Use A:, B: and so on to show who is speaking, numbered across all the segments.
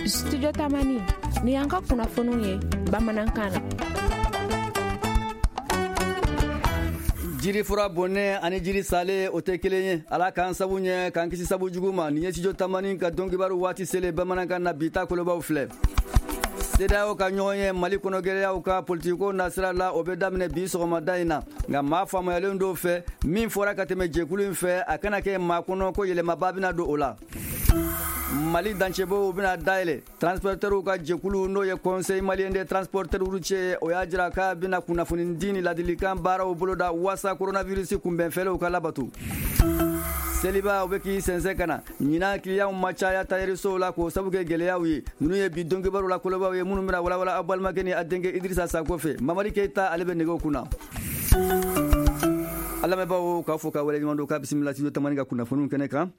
A: Studio Tamani ni y'an ka kunnafoniw ye bamanankan na.
B: Jirifura bonnen ani jiri salen, o tɛ kelen ye. Ala k'an sabu ɲɛ, k'an kisi sabu jugu ma. Nin ye Studio Tamani ka donkibaru waati selen bamanankan na. Bi ta kolobaw filɛ: CEDEAO ka ɲɔgɔn ye Mali kɔnɔ gɛlɛyaw ka politikiko nasira la, o bɛ daminɛ bi sɔgɔmada in na. Nka maa faamuyalen dɔw fɛ, min fɔra ka tɛmɛ jɛkulu in fɛ, a kana kɛ maa kɔnɔ ko yɛlɛmaba bɛna don o la. Mali dancɛbonw bɛna dayɛlɛ. Transportɛriw ka jɛkulu, n'o ye Conseil malien des transporteurs routiers, o y'a jira k'a bɛna kunnafoni di ni ladilikan baaraw boloda waasa coronavirus kunbɛnfɛɛrɛw ka labato. Seliba, o bɛ k'i sɛnsɛn ka na. Ɲinan, kiliyanw ma caya tayɛrisow la k'o sabu kɛ gɛlɛyaw ye. Ninnu ye bi donkibaru la kolobaw ye, minnu bɛna walawala aw balimakɛ ni a denkɛ Idirisa Sako fɛ. Mamadi Keyita, ale bɛ nɛgɛw kunna. A lamɛnbaaw, k'a fɔ ka waleɲuman don, k'a bisimila Studio Tamani ka kunnafoniw kɛnɛ kan.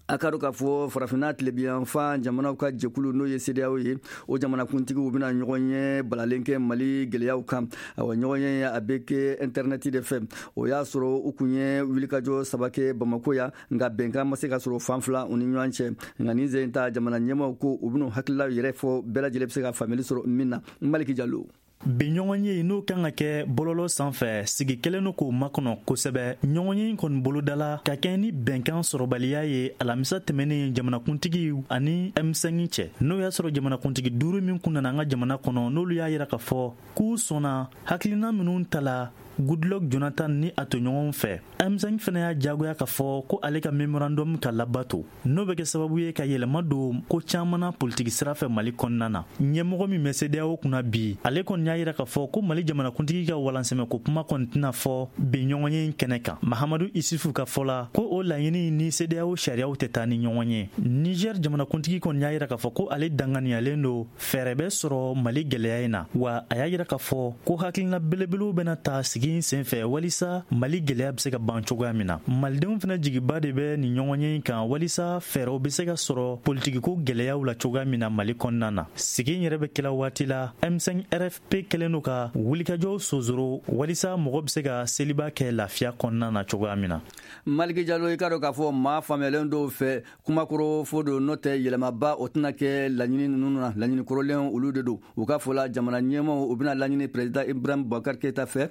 B: A ka dɔn k'a fɔ Farafinna tilebiyanfan jamanaw ka jɛkulu, n'o ye CEDEAO ye, o jamanakuntigiw bɛna ɲɔgɔn ye balalen kɛ Mali gɛlɛyaw kan. Awa, ɲɔgɔn ye, a bɛ kɛ intɛrɛnɛti de fɛ. O y'a sɔrɔ u kun ye wulikajɔ saba kɛ Bamako yan, nka bɛnkan ma se ka sɔrɔ fan fila u ni ɲɔgɔn cɛ. Nka nin sen ta, jamana ɲɛmaaw ko u bɛn'u hakililaw yɛrɛ fɔ, bɛɛ lajɛlen bɛ se ka faamuyali sɔrɔ min na. Maliki Jalo.
C: Bi ɲɔgɔnye, n'o kan ka kɛ bɔlɔlɔ sanfɛ, sigi kɛlen don k'o makɔnɔ kosɛbɛ. Ɲɔgɔnye in kɔni bolodala ka kɛ ni bɛnkan sɔrɔbaliya ye alamisa tɛmɛnen jamanakuntigi ani M5 cɛ, n'o y'a sɔrɔ jamanakuntigi duuru min kun nana an ka jamana kɔnɔ, n'olu y'a yira k'a fɔ k'u sɔnna hakilina minnu tala Goodluck Jonathan ni a tɔɲɔgɔnw fɛ. M5 fana y'a jagoya k'a fɔ ko ale ka memorandum ka labato, n'o bɛ kɛ sababu ye ka yɛlɛma don ko caman na politiki sira fɛ Mali kɔnɔna na. Ɲɛmɔgɔ min bɛ CEDEAO kunna bi, ale kɔni y'a yira k'a fɔ ko Mali jamanakuntigi ka walansɛmɛko kuma kɔni tɛna fɔ bi ɲɔgɔnye in kɛnɛ kan. Mahamadu Isufu ka fɔ la, ko o laɲini ni CEDEAO sariyaw tɛ taa ni ɲɔgɔn ye. Niger jamanakuntigi kɔni y'a yira k'a fɔ ko ale danganiyalen don fɛɛrɛ bɛ sɔrɔ Mali gɛlɛya in na, wa a y'a yira k'a fɔ ko hakilina belebelew bɛna ta sigi in senfɛ walisa Mali gɛlɛya bɛ se ka ban cogoya min na. Malidenw fana jigiba de bɛ nin ɲɔgɔnye in kan walisa fɛɛrɛw bɛ se ka sɔrɔ politikiko gɛlɛyaw la cogoya min na Mali kɔnɔna na. Sigi in yɛrɛ bɛ kɛla waati la, M5 RFP kɛlen don ka wulikajɔw sonsoro walisa mɔgɔ bɛ se ka seliba kɛ lafiya kɔnɔna na cogoya min na.
B: Maliki Jalo, i k'a dɔn k'a fɔ maa faamuyalen dɔw fɛ, kumakɔrɔ fɔ don, n'o tɛ yɛlɛmaba o tɛna kɛ laɲini ninnu na. Laɲini kɔrɔlen olu de don. U ka fɔ la, jamana ɲɛmaaw, u bɛna laɲini président Ibrahim Boubacar Keita fɛ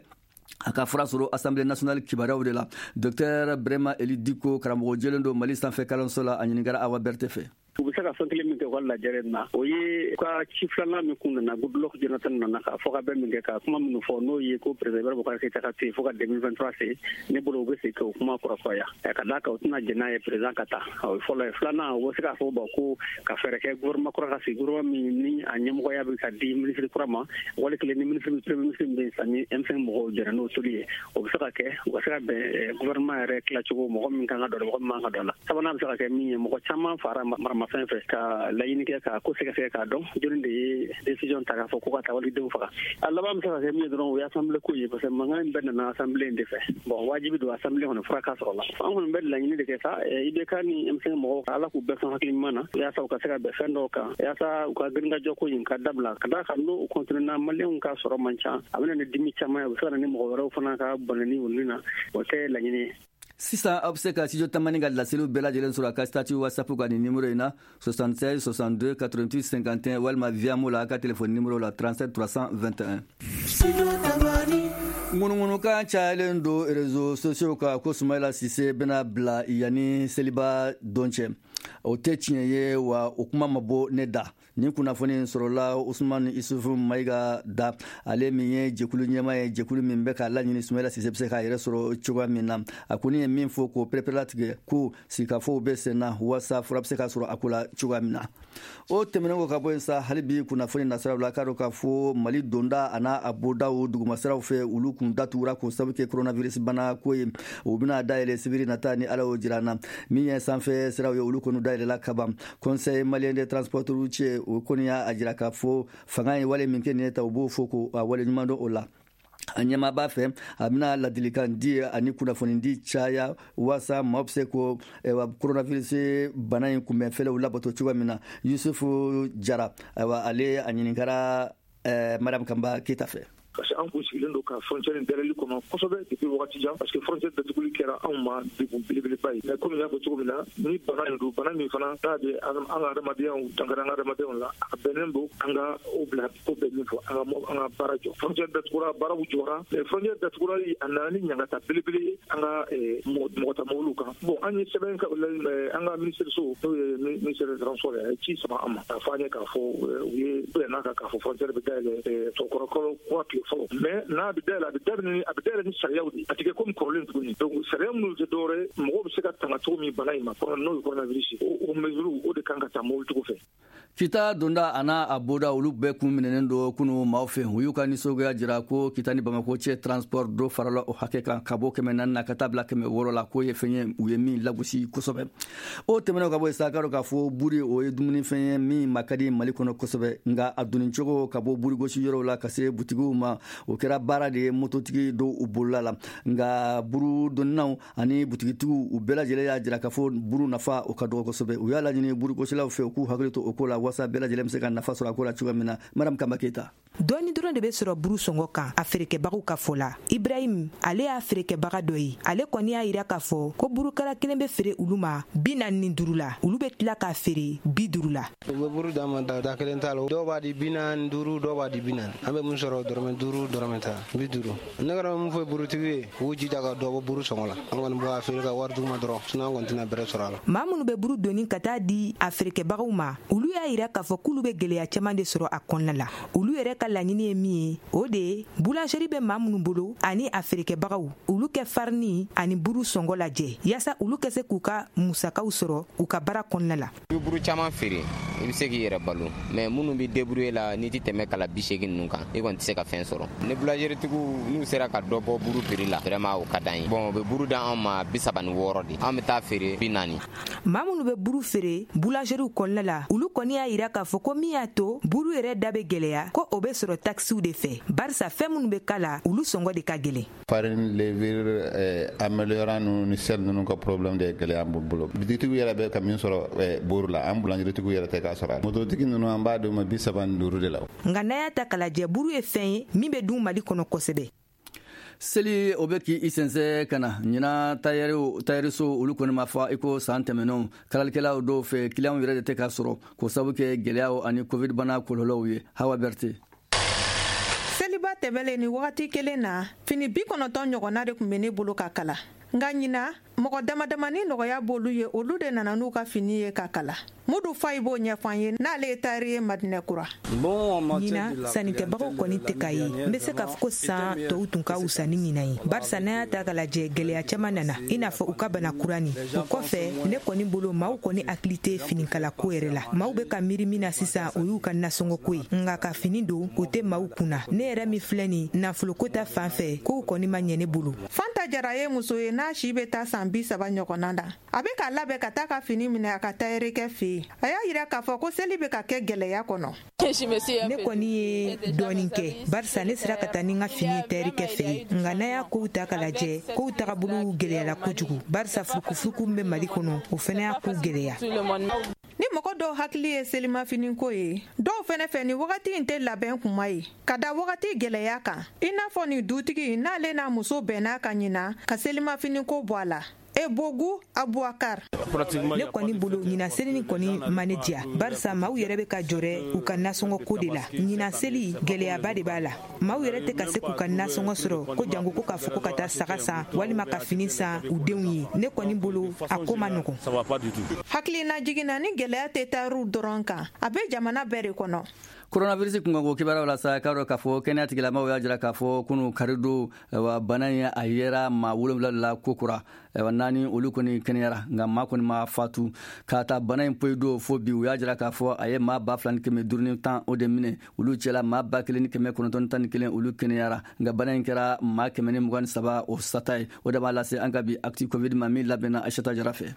B: a ka fura sɔrɔ Assemblée nationale kibaruyaw de la. Docteur Brema Eli Diko, karamɔgɔ jɛlen don Mali sanfɛ kalanso la, a ɲininkara Awa Bɛrite fɛ.
D: U bɛ se ka fɛn kelen min kɛ u ka lajɛrɛ na, o ye ka ci filanan min kun nana, Goodluck Jonathan nana ka fɔ ka bɛn min kɛ, ka kuma minnu fɔ, n'o ye ko président Ibrahim Boubacar Keita ka to yen fo ka 2023 se. Ne bolo, u bɛ se k'o kuma kurakuraya ka d'a kan u tɛna jɛn n'a ye président ka taa. O ye fɔlɔ ye. Filanan, u bɛ se k'a fɔ bon, ko ka fɛɛrɛ kɛ gouvernement kura ka sigi, gouvernement min ni a ɲɛmɔgɔya bɛ ka di ministre kura ma, wali kelen ni ministre, premier ministre min bɛ yen sisan, ni M5 mɔgɔw jɛra n'o toli ye. O bɛ se ka kɛ u ka se ka bɛn gouvernement yɛrɛ tilacogo, mɔgɔ min kan ka don a la, mɔgɔ min man ka don a la. Sabanan bɛ se ka kɛ min ye, mɔgɔ caman fara maramafɛn fɛ ka laɲini kɛ ka ko sɛgɛsɛgɛ k'a dɔn jɔnni de ye décision ta k'a fɔ ko ka taa walidenw faga. A laban bɛ se ka kɛ min ye dɔrɔn, o ye assemblée ko ye, parce que mankan in bɛɛ nana assemblée in de fɛ. Bon, wajibi don assemblée kɔnɔ fura ka sɔrɔ la. An kɔni bɛ laɲini de kɛ sa, IBK ni M5 mɔgɔw, Ala k'u bɛɛ sɔn hakili ɲuman na yaasa u ka se ka bɛn fɛn dɔw kan, yaasa u ka girinkajɔ ko in ka dabila, ka d'a kan n'o continuer na, Maliyɛnw ka sɔrɔ man ca, a bɛ na ni dimi caman ye, u bɛ se ka na ni mɔgɔ wɛrɛw fana ka bɔnɛni olu na. O tɛ laɲini ye.
B: Sisan, aw bɛ se ka Studio Tamani ka laseliw bɛɛ lajɛlen sɔrɔ a ka statut WhatsApp kan nin numéro in na: 76 62 88 51, walima Viamo la, a ka téléphone numéro la 37 321. Ŋunuŋunukan cayalen don réseaux sociaux kan ko Sumayila Sise bɛna bila yanni seliba don cɛ. O tɛ tiɲɛ ye, wa o kuma ma bɔ ne da. Nin kunnafoni sɔrɔla Usman Isufu Mayiga da, ale min ye jɛkulu ɲɛma ye, jɛkulu min bɛ k'a laɲini Sumayila Sise bɛ se k'a yɛrɛ sɔrɔ cogoya min na. A kɔni ye min fɔ k'o pereperelatigɛ, ko sigikafɔw bɛ sen na waasa fura bɛ se ka sɔrɔ a ko la cogoya min na. O tɛmɛnen kɔ ka bɔ yen sa, hali bi kunnafoni nasiraw la, k'a dɔn k'a fɔ Mali donda a n'a a bɔdaw dugumasiraw fɛ, olu kun datugura k'o sabu kɛ coronavirus bana ko ye. U bɛna dayɛlɛ sibiri nata, ni Ala y'o jira an na. Min ye sanfɛ siraw ye, olu kɔni dayɛlɛla kaban. Conseil malien des transporteurs routiers, o kɔni y'a jira k'a fɔ fanga ye wale min kɛ nin ye ta, u b'o fɔ ko a wale ɲuman dɔn o la. A ɲɛmaa b'a fɛ a bɛna ladilikan di ani kunnafoni di caya waasa maaw bɛ se ko coronavirus bana in kunbɛn fɛlɛw labato cogoya min na. Yusufu Jara, ayiwa, ale a ɲininkara Mariam Kanba Keyita fɛ.
E: Parce que an kun sigilen don ka frontière in dayɛlɛli kɔnɔ kosɛbɛ depuis wagati jan, parce que frontière datuguli kɛra anw ma degun belebeleba ye. Mais komi n y'a fɔ cogo min na, ni bana in don, bana min fana n'a bɛ an ka adamadenyaw dankari an ka adamadenyaw la, a bɛnnen don an ka o bila ko bɛɛ min fɔ, an ka baara jɔ. Frontière datugura, baaraw jɔra, mais frontière datugura, a nana ni ɲangata belebele ye an ka mɔgɔ ta mɔbiliw kan. Bon, an ye sɛbɛn an ka ministère so, n'o ye ministère des transports ye, a ye ci sama an ma k'a fɔ an ye k'a fɔ u ye bɛnna kan k'a fɔ frontière bɛ dayɛlɛ tɔkɔrɔ kura tile fɔlɔ. Mais n'a bɛ dayɛlɛ, a bɛ dayɛlɛ ni sariyaw de ye, a tɛ kɛ komi kɔrɔlen tuguni. Donc sariya minnu tɛ dɔwɛrɛ ye, mɔgɔw bɛ se ka tanga cogo min bana in ma, n'o ye coronavirus, o mesure o de kan ka ta mobilitigiw fɛ.
B: Kita donda a n'a a boda, olu bɛɛ kun minɛnen don kunu maaw fɛ. U y'u ka nisɔngoya jira ko Kita ni Bamako cɛ transport, dɔ farala o hakɛ kan ka bɔ 400 na ka taa bila 600 la, k'o ye fɛn ye u ye min lagosi kosɛbɛ. O tɛmɛnen ka bɔ yen sa, k'a dɔn k'a fɔ buri, o ye dumunifɛn ye min ma ka di Mali kɔnɔ kosɛbɛ. Nka a donni cogo ka bɔ burigosi yɔrɔw la ka se butigiw ma, o kɛra baara de ye mototigi dɔw u bolola la. Nka buru donninaw ani butigitigiw, u bɛɛ lajɛlen y'a jira k'a fɔ buru nafa, o ka dɔgɔ kosɛbɛ. U y'a laɲini burugosilaw fɛ, u k'u hakili to o ko la, walasa bɛɛ lajɛlen bɛ se ka nafa sɔrɔ a ko la cogoya min na. Madame Kamba Keyita.
F: Dɔɔni dɔrɔn de bɛ sɔrɔ buru sɔngɔ kan a feerekɛbagaw ka fɔ la. Ibrahim, ale y'a feerekɛbaga dɔ ye. Ale kɔni y'a yira k'a fɔ ko burukala kelen bɛ feere olu ma 45 la, olu bɛ tila k'a feere 50 la.
G: U bɛ buru d'an ma, da kelen t'a la. Dɔw b'a di 45, dɔw b'a di 40. An bɛ mun sɔrɔ? Dɔrɔmɛ 5, dɔrɔmɛ 10, 50. Ne kɔni bɛ mun fɔ burutigi ye, u k'u jija ka dɔ bɔ buru sɔngɔ la. An kɔni b'a feere ka wari d'u ma dɔrɔn, sinon an kɔni tɛna bɛrɛ sɔrɔ a la.
F: Maa minnu bɛ buru doni ka taa di a feerekɛbagaw ma, olu y'a yira k'a fɔ k'olu bɛ gɛlɛya caman de sɔrɔ a kɔnɔna la. Olu yɛrɛ ka laɲini ye min ye, o de ye boulangerie bɛ maa minnu bolo ani a feerekɛbagaw, olu kɛ farini ani buru sɔngɔ lajɛ, yaasa olu kɛ se k'u ka musakaw sɔrɔ u ka baara kɔnɔna la.
H: I bɛ buru caman feere, i bɛ se k'i yɛrɛ balo, mais minnu bɛ débrouiller la, n'i tɛ tɛmɛ kala 80 ninnu kan, i kɔni tɛ se ka fɛn sɔrɔ. Ni boulangerie-tigiw n'u sera ka dɔ bɔ buru prix la, vraiment o ka d'an ye. Bon, u bɛ buru d'an ma 36 de, an bɛ taa feere 40.
F: Maa minnu bɛ buru feere boulangeriew kɔnɔna la, olu kɔni y'a yira k'a fɔ ko min y'a to buru yɛrɛ da bɛ gɛlɛya, ko o bɛ sɔrɔ taxes de fɛ, barisa fɛn minnu bɛ k'a la, olu sɔngɔ de ka gɛlɛn.
I: Farine, levure, améliorant ninnu ni sel ninnu ka problème de ye gɛlɛya b'u bolo. Bitigitigiw yɛrɛ bɛ ka min sɔrɔ buru la, an boulangeritigiw yɛrɛ tɛ k'a sɔrɔ. Mototigi ninnu, an b'a d'u ma 35 de la.
F: Nka n'a y'a ta k'a lajɛ, buru ye fɛn ye min bɛ dun Mali kɔnɔ kosɛbɛ.
B: Seli, o bɛ k'i sɛnsɛn ka na. Ɲinan, tayɛriso olu kɔni ma fa i ko san tɛmɛnenw. Kalalikɛlaw dɔw fɛ, kiliyanw yɛrɛ de tɛ ka sɔrɔ, k'o sababu kɛ gɛlɛyaw ani Covid bana kɔlɔlɔw ye. Hawa Berte.
J: Seliba tɛmɛlen ni wagati kelen na, fini 90 ɲɔgɔnna de tun bɛ ne bolo ka kala. Nka ɲina, mɔgɔ dama damani nɔgɔya b'olu ye, olu de nana n'u ka fini ye ka kala. Mudu Fayi b'o ɲɛfɔ an ye, n'ale ye tayɛri ye Madinɛ Kura.
F: Ɲina, sannikɛbagaw kɔni tɛ ka ye. N bɛ se k'a fɔ ko san tɔw tun ka wusa ni ɲinan ye, barisa n'an y'a ta k'a lajɛ, gɛlɛya caman nana, i n'a fɔ u ka bana kura nin. O kɔfɛ, ne kɔni bolo, maaw kɔni hakili tɛ finikalako yɛrɛ la. Maaw bɛ ka miiri min na sisan, o y'u ka nasɔngɔko ye. Nka ka fini don, o tɛ maaw kunna. Ne yɛrɛ min filɛ nin, nafoloko ta fan fɛ, kow kɔni ma ɲɛ ne bolo.
J: Fanta Jara ye muso ye n'a si bɛ taa san 30 ɲɔgɔnna na. A bɛ k'a labɛn ka taa ka fini minɛ a ka tayɛrikɛ fɛ yen. A y'a yira k'a fɔ ko seli bɛ ka kɛ gɛlɛya kɔnɔ.
F: Ne kɔni ye dɔɔnin kɛ, barisa ne sera ka taa ni n ka fini ye tayɛrikɛ fɛ yen. Nka n'a y'a kow ta k'a lajɛ, kow tagabolo gɛlɛyala kojugu, barisa furukufuruku min bɛ Mali kɔnɔ, o fana y'a kow gɛlɛya.
J: Ni mɔgɔ dɔw hakili ye selimafiniko ye, dɔw fɛnɛ fɛ, ni wagati in tɛ labɛn kuma ye ka da wagati gɛlɛya kan, i n'a fɔ nin dutigi n'ale n'a muso bɛnna ka ɲina ka selimafiniko bɔ a la. Ebogu Abubakar.
F: Ne kɔni bolo, ɲinan seli ni kɔni ma ne diya, barisa maaw yɛrɛ bɛ ka jɔrɛ u ka nasɔngɔ ko de la. Ɲinan seli, gɛlɛyaba de b'a la. Maaw yɛrɛ tɛ ka se k'u ka nasɔngɔ sɔrɔ, ko jango ko k'a fɔ ko ka taa saga san walima ka fini san u denw ye. Ne kɔni bolo, a ko ma nɔgɔn.
J: Hakilina jiginna ni gɛlɛya tɛ taariw dɔrɔn kan, a bɛ jamana bɛɛ de kɔnɔ.
B: Coronavirus kunkanko kibaruyaw la sa, k'a dɔn k'a fɔ kɛnɛya tigilamaw y'a jira k'a fɔ kunu karidon wa, bana in a yera maa 7 de la kokura. Naani olu kɔni kɛnɛyara, nka maa kɔni ma fatu. K'a ta bana in poyi don fo bi, u y'a jira k'a fɔ a ye maa 2510 o de minɛ. Olu cɛla, maa 1911 olu kɛnɛyara, nka bana in kɛra maa 123 o sata ye. O de b'a lase an ka bi Actu Covid ma, min labɛnna Aïssata Jara fɛ.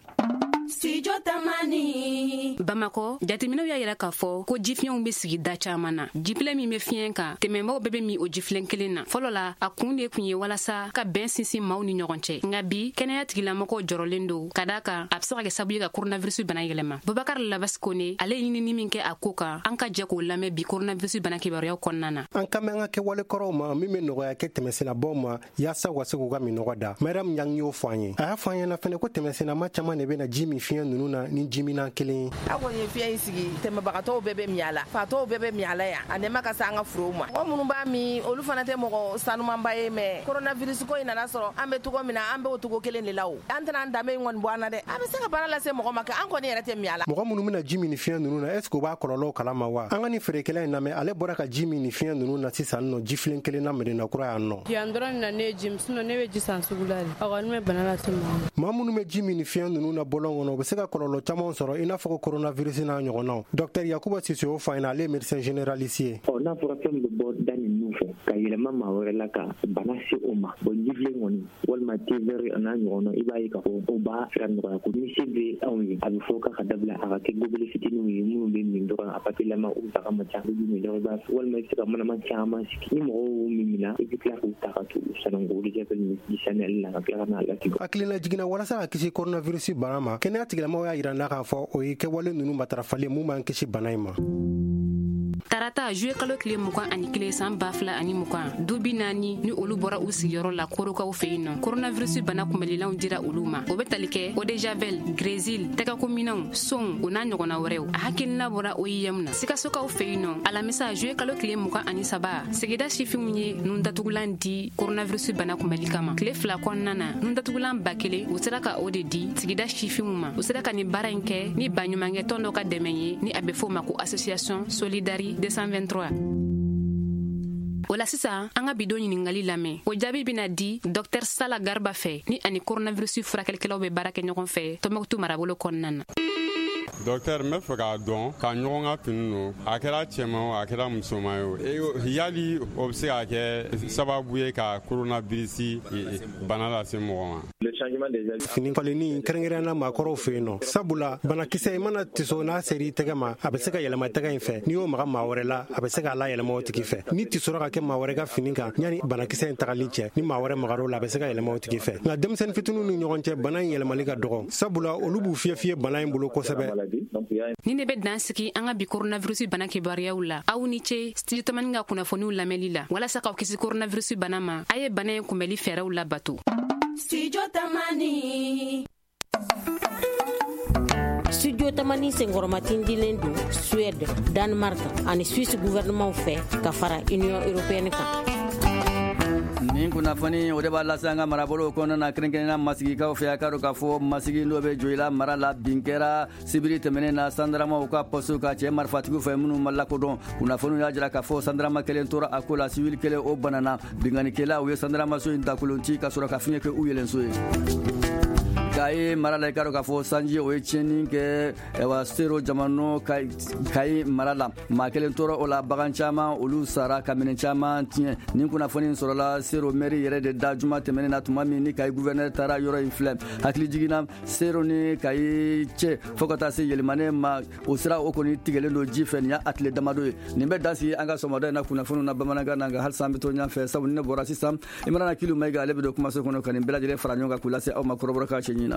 K: Studio Tamani.
L: Bamakɔ, jateminɛw y'a yira k'a fɔ ko jifiɲɛw bɛ sigi da caman na. Jifilen min bɛ fiɲɛ kan, tɛmɛnbaaw bɛɛ bɛ min o jifilen kelen na. Fɔlɔ la, a kun de tun ye walasa ka bɛn sinsin maaw ni ɲɔgɔn cɛ. Nka bi, kɛnɛya tigilamɔgɔw jɔrɔlen don ka d'a kan a bɛ se ka kɛ sababu ye ka coronavirus bana yɛlɛma. Bubakar Labasi Kone, ale ye ɲinini min kɛ a ko kan, an ka jɛ k'o lamɛn bi coronavirus bana kibaruyaw kɔnɔna na.
M: An kan bɛ an ka kɛwale kɔrɔw ma min bɛ nɔgɔya kɛ tɛmɛsennabaw ma yaasa u ka se k'u ka minɔgɔ da. Mariam Ɲang y'o fɔ an ye. A y'a fɔ an ɲɛna fɛnɛ ko tɛmɛsennama caman de bɛna ji min fiɲɛ ninnu na ni jiminan kelen ye.
N: A kɔni ye fiɲɛ in sigi, tɛmɛbagatɔw bɛɛ bɛ min a la, fatɔw bɛɛ bɛ min a la yan, a nɛma ka se an ka forow ma. Mɔgɔ minnu b'a min, olu fana tɛ mɔgɔ sanumanba ye, mais coronavirus ko in nana sɔrɔ an bɛ cogo min na, an bɛ o cogo kelen de la o. An tɛna an danbe in kɔni bɔ an na dɛ. A bɛ se ka bana lase mɔgɔ ma kɛ, an kɔni yɛrɛ tɛ min a la.
M: Mɔgɔ minnu bɛna ji min ni fiɲɛ ninnu na, est ce que u b'a kɔlɔlɔw kalama wa? An ka nin feerekɛla in lamɛn, ale bɔra ka ji min ni fiɲɛ ninnu na sisan nɔ jifilen kelen na Medina kura yan nɔ.
O: Yan dɔrɔn na ne ye ji min, sinon ne bɛ ji san sugu la de. A kɔni bɛ bana lase mɔgɔ ma.
M: Maa minnu bɛ ji min ni fiɲɛ ninnu na bɔlɔn kɔnɔ, u bɛ se ka kɔlɔlɔ caman sɔrɔ, i n'a fɔ ko coronavirus n'a ɲɔgɔnnaw. Docteur Yakuba Sise y'o fɔ an ɲɛna, ale ye médecin généraliste ye.
P: Ɔ, n'a fɔra fɛn min bɛ bɔ da ni nun fɛ ka yɛlɛma maa wɛrɛ la ka bana se o ma, bon jifilen kɔni walima thé vert n'a ɲɔgɔnna, i b'a ye k'a fɔ o b'a sira nɔgɔya ko ni se bɛ anw ye, a bɛ fɔ k'a ka dabila, a ka kɛ gobelet fitininw ye minnu bɛ min dɔrɔn, a papilama u daga man ca, i bɛ min dɔrɔn, i b'a walima i bɛ se ka manama caman sigi ni mɔgɔw min minna, i bɛ tila k'u ta ka t'u sanango eau de javel ni ji saniyali la ka tila ka n'a lasigi.
M: Hakilina jiginna walasa ka kisi coronavirus bana ma, kɛnɛya tigilamɔgɔw y'a yira n'a k'a fɔ o ye kɛwale ninnu matarafalen mun b'an kisi bana in ma.
L: Tarata juillet kalo tile 21 san 2020, du 40 ni olu bɔra u sigiyɔrɔ la Korokaw fɛ yen nɔ, coronavirus bana kunbɛlilanw dira olu ma. O bɛ tali kɛ eau de javel, grésil, tɛgɛkominɛnw, sonw, o n'a ɲɔgɔnna wɛrɛw. A hakilina bɔra OIM na. Sikasokaw fɛ yen nɔ, alamisa juillet kalo tile 23, sigida sifinw ye nundatugulan di coronavirus bana kunbɛli kama. Tile 2 kɔnɔna na, nundatugulan 1000 u sera ka o de di sigida sifinw ma. U sera ka nin baara in kɛ ni baɲumankɛ tɔn dɔ ka dɛmɛ ye, ni a bɛ fɔ o ma ko association Solidari 223. O la sisan, an ka bidon ɲiningali lamɛn. O jaabi bɛna di Dr Sala Garba fɛ, ni ani coronavirus furakɛlikɛlaw bɛ baara kɛ ɲɔgɔn fɛ Tɔnbɔkutu marabolo kɔnɔna na.
Q: Docteur, n bɛ fɛ k'a dɔn ka ɲɔgɔn ka fini don, a kɛra cɛman o, a kɛra musoman ye o, yali o bɛ se ka kɛ sababu ye ka coronavirus bana lase mɔgɔ ma?
M: Fini falenni kɛrɛnkɛrɛnnenya maakɔrɔw fɛ yen nɔ, sabula banakisɛ i mana tiso n'a sera i tɛgɛ ma, a bɛ se ka yɛlɛma tɛgɛ in fɛ. N'i y'o maga maa wɛrɛ la, a bɛ se k'a layɛlɛma o tigi fɛ. Ni tisora ka kɛ maa wɛrɛ ka fini kan yanni banakisɛ in tagali cɛ, ni maa wɛrɛ magar'o la, a bɛ se ka yɛlɛma o tigi fɛ. Nka denmisɛnnin fitininw ni ɲɔgɔn cɛ, bana in yɛlɛmali ka dɔgɔ, sabula olu b'u fiyɛ fiyɛ bana in bolo kosɛbɛ.
L: Ni ne bɛ dan sigi an ka bi coronavirus bana kibaruyaw la. Aw ni ce Studio Tamani ka kunnafoniw lamɛnli la. Walasa k'aw kisi coronavirus bana ma, a ye bana in kunbɛli fɛɛrɛw labato.
K: Studio Tamani.
R: Studio Tamani senkɔrɔmatindilen don Suède, Danemark ani Suisse gouvernement fɛ ka fara Union européenne kan.
B: Nin kunnafoni o de b'a lase an ka marabolow kɔnɔna na, kɛrɛnkɛrɛnnenya masigikaw fɛ. A ka dɔn k'a fɔ masigi n'o bɛ Joyila mara la, bin kɛra sibiri tɛmɛnen na sandaramaw ka poste ka cɛ marifatigiw fɛ minnu ma lakodɔn. Kunnafoniw y'a jira k'a fɔ sandarama kelen tora a ko la, civil kelen o banana. Binkannikɛlaw u ye sandaramaso in dakolon ci ka sɔrɔ ka fiɲɛ kɛ u yɛlɛnso ye. Kayi mara la, i ka dɔn k'a fɔ sanji o ye tiɲɛni kɛ wa Sero jamana Kayi mara la, maa kelen tora o la, bagan caman olu sara ka minɛn caman tiɲɛ. Nin kunnafoni sɔrɔla Sero mɛri yɛrɛ de da juma tɛmɛnen na, tuma min ni Kayi gouverneur taara yɔrɔ in filɛ. Hakili jiginna Sero ni Kayi cɛ fo ka taa se Yɛlɛmanɛ ma, o sira o kɔni tigɛlen don ji fɛ. Nin y'a tile damadɔ ye. Nin bɛ dan sigi an ka sɔgɔmada in na kunnafoniw na bamanankan na, nka halisa an bɛ to ɲɛfɛ, sabu ni ne bɔra sisan, Imrana Kilu Mayiga ale bɛ don kumaso kɔnɔ ka nin bɛɛ lajɛlen fara ɲɔgɔn kan k'u lase aw ma kɔrɔbɔrɔkan cɛɲi na.